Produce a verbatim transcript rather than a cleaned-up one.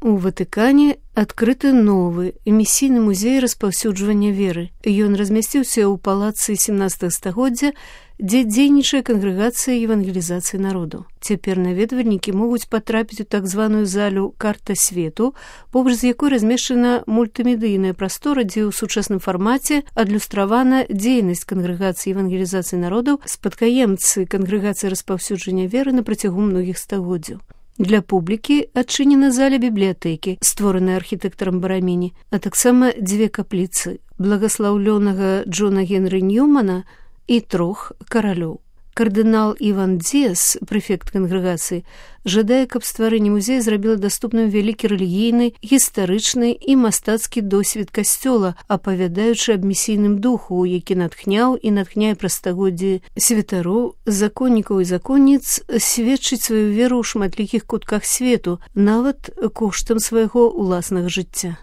У Ватыкане адкрыты новы эмісійны музей распаўсюджвання веры. Ён размясціўся ў палацы сямнаццатага стагоддзя, дзе дзейнічае кангрэгацыя евангелізацыі народу. Цяпер наведвальнікі могуць патрапіць у так званую залю «Карта свету», побач з якой размешчана мультымедыйная прастора, дзе ў сучасным фармаце адлюстравана дзейнасць кангрэгацыі евангелізацыі народу, спадкаемцы кангрэгацыі распаўсюджвання веры на працягу многіх стагоддзяў. Для публікі адчынена заля бібліятэкі, створаная архітэктарам Бараміні, а таксама дзве капліцы благаслаўлёнага Джона Генры Ньюмана і трох каралёў. Кардынал Іван Дзіас, прэфект кангрэгацыі, жадае, каб стварэнне музея зрабіла даступным вялікі рэлігійны, гістарычны і мастацкі досвед касцёла, апавядаючы аб місійным духу, які натхняў і натхняе праз стагоддзі святароў, законнікаў і законніц сведчыць сваю веру ў шматлікіх кутках свету, нават коштам свайго ўласнага жыцця.